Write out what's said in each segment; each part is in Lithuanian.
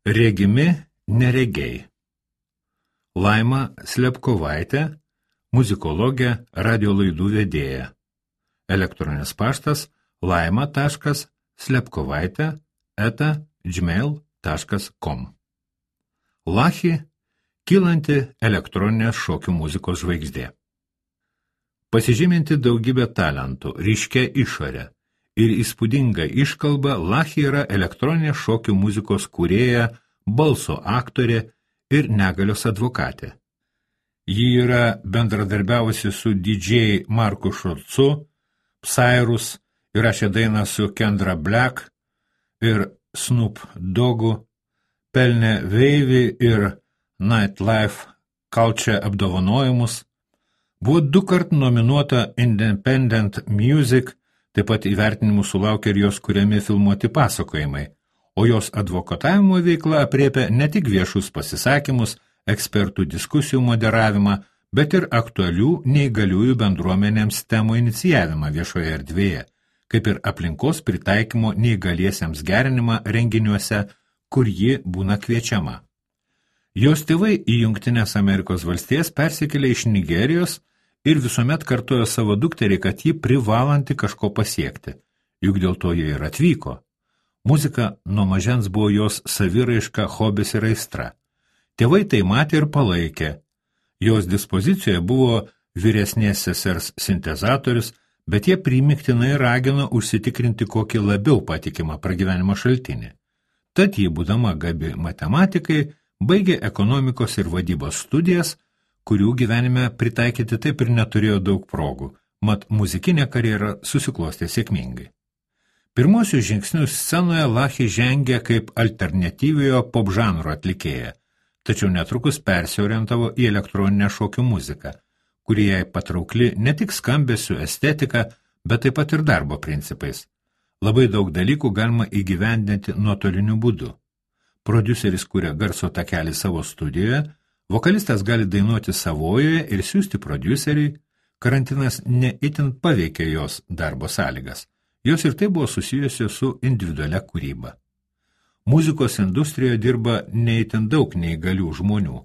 Regimi neregiai. Laima Slepkovaitė, muzikologė, radio laidų vedėja. Elektroninis paštas laima.slepkovaitė@gmail.com. Lachi – kylanti elektroninės šokių muzikos žvaigždė. Pasižyminti daugybę talentų, ryškia išorė ir įspūdinga iškalba, Lachi yra elektroninės šokių muzikos kūrėja, balso aktorė ir negalios advokatė. Ji yra bendradarbiavusi su DJ Marku Šulcu, Psyrus, įrašė dainą su Kendra Black ir Snoop Doggu, pelnė Wavy ir Nightlife Culture apdovanojimus, buvo 2 kart nominuota Independent Music, taip pat įvertinimų sulaukė ir jos kuriami filmuoti pasakojimai, o jos advokatavimo veikla aprėpia ne tik viešus pasisakymus, ekspertų diskusijų moderavimą, bet ir aktualių neįgaliųjų bendruomenėms temų inicijavimą viešoje erdvėje, kaip ir aplinkos pritaikymo neįgaliesiems gerinimą renginiuose, kur ji būna kviečiama. Jos tėvai į Jungtines Amerikos valstijas persikėlė iš Nigerijos ir visuomet kartojo savo dukteriai, kad ji privalanti kažko pasiekti, juk dėl to jie ir atvyko. Muzika nuo mažens buvo jos saviraiška, hobis ir aistra. Tėvai tai matė ir palaikė. Jos dispozicijoje buvo vyresnės sesers sintezatorius, bet jie primiktinai ragino užsitikrinti kokį labiau patikimą pragyvenimo šaltinį. Tad ji, būdama gabi matematikai, baigė ekonomikos ir vadybos studijas, kurių gyvenime pritaikyti taip ir neturėjo daug progų, mat muzikinė karjera susiklostė sėkmingai. Pirmosius žingsnius scenoje Lachi žengė kaip alternatyviojo popžanro atlikėja, tačiau netrukus persiorientavo į elektroninę šokių muziką, kuri jai patraukli ne tik skambesiu, estetika, bet taip pat ir darbo principais. Labai daug dalykų galima įgyvendinti nuotoliniu būdu. Prodiuseris kuria garso takelį savo studijoje, vokalistas gali dainuoti savojoje ir siųsti prodiuseriui, karantinas neitin paveikė jos darbo sąlygas. Jos ir tai buvo susijusios su individualia kūryba. Muzikos industrijoje dirba neitin daug neįgalių žmonių,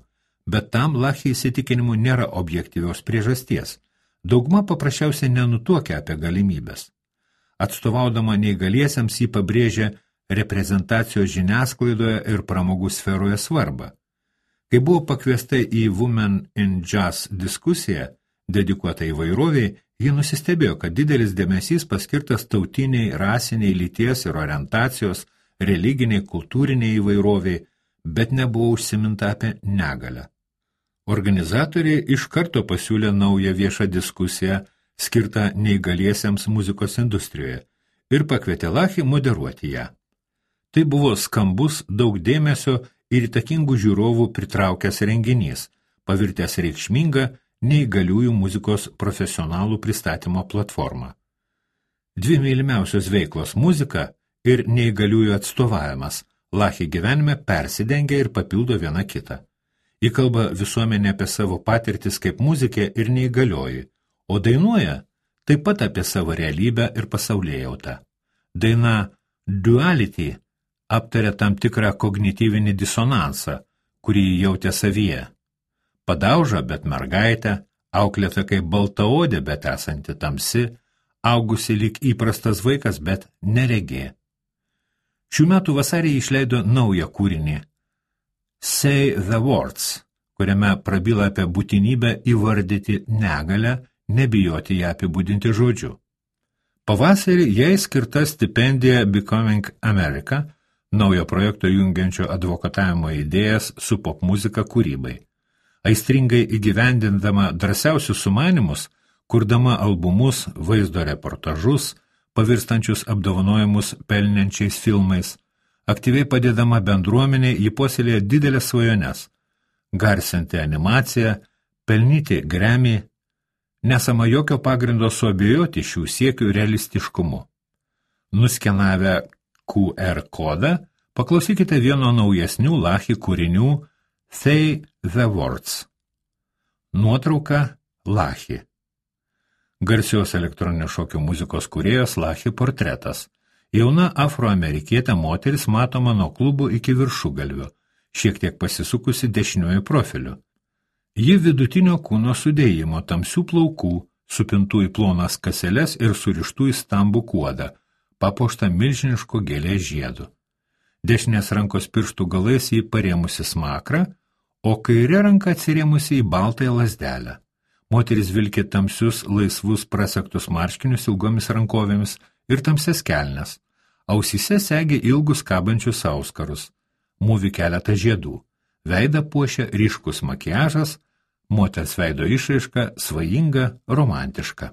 bet tam Lachi įsitikinimu nėra objektyvios priežasties. Dauguma paprasčiausiai nenutuokia apie galimybės. Atstovaudama neįgaliesiems jį pabrėžia reprezentacijos žiniasklaidoje ir pramogų sferoje svarbą. Kai buvo pakviesta į Women in Jazz diskusiją, dedikuotą įvairoviai, ji nusistebėjo, kad didelis dėmesys paskirtas tautiniai, rasiniai, lyties ir orientacijos, religiniai, kultūriniai įvairoviai, bet nebuvo užsiminta apie negalią. Organizatoriai iš karto pasiūlė naują viešą diskusiją skirtą neįgaliesiems muzikos industrijoje ir pakvietė Lachi moderuoti ją. Tai buvo skambus, daug dėmesio ir įtakingų žiūrovų pritraukęs renginys, pavirtęs reikšmingą neįgaliųjų muzikos profesionalų pristatymo platformą. 2 mylimiausios veiklos – muzika ir neįgaliųjų atstovavimas – Lachi gyvenime persidengia ir papildo viena kitą. Ji kalba visuomenė apie savo patirtis kaip muzikė ir neįgalioji, o dainuoja taip pat apie savo realybę ir pasaulėjautą. Daina Duality aptarė tam tikrą kognityvinį disonansą, kurį jautė savyje. Padauža, bet mergaitė, auklėta kaip baltaodė, bet esanti tamsi, augusi lyg įprastas vaikas, bet neregė. Šių metų vasarį išleido naują kūrinį Say the Words, kuriame prabyla apie būtinybę įvardyti negalę, nebijoti ją apibūdinti žodžiu. Pavasarį jai skirta stipendija Becoming America, naujo projekto jungiančio advokatavimo idėjas su popmuzika kūrybai. Aistringai įgyvendindama drąsiausius sumanymus, kurdama albumus, vaizdo reportažus, pavirstančius apdovanojimus pelniančiais filmais, aktyviai padėdama bendruomenė, ji puoselėja didelės svajones – garsinti animaciją, pelnyti Grammy, nesama jokio pagrindo suabejoti šių siekių realistiškumu. Nuskenavę QR kodą, paklausykite vieno naujesnių Lachi kūrinių Say the Words. Nuotrauka Lachi. Garsios elektroninio šokio muzikos kūrėjos Lachi portretas. Jauna afroamerikietė moteris matoma nuo klubų iki viršugalvio, šiek tiek pasisukusi dešiniuoju profiliu. Ji vidutinio kūno sudėjimo, tamsių plaukų, supintų į plonas kaseles ir surištų į stambų kuodą, papuoštą milžiniško gėlės žiedu. Dešinės rankos pirštų galais jį parėmusi smakrą, o kairė ranka atsirėmusi į baltąją lazdelę. Moteris vilkė tamsius, laisvus prasegtus marškinius ilgomis rankovėmis ir tamsias kelnes. Ausyse segė ilgus kabančius auskarus. Mūvi keletą žiedų. Veidą puošia ryškus makiažas, moters veido išraiška svajinga, romantiška.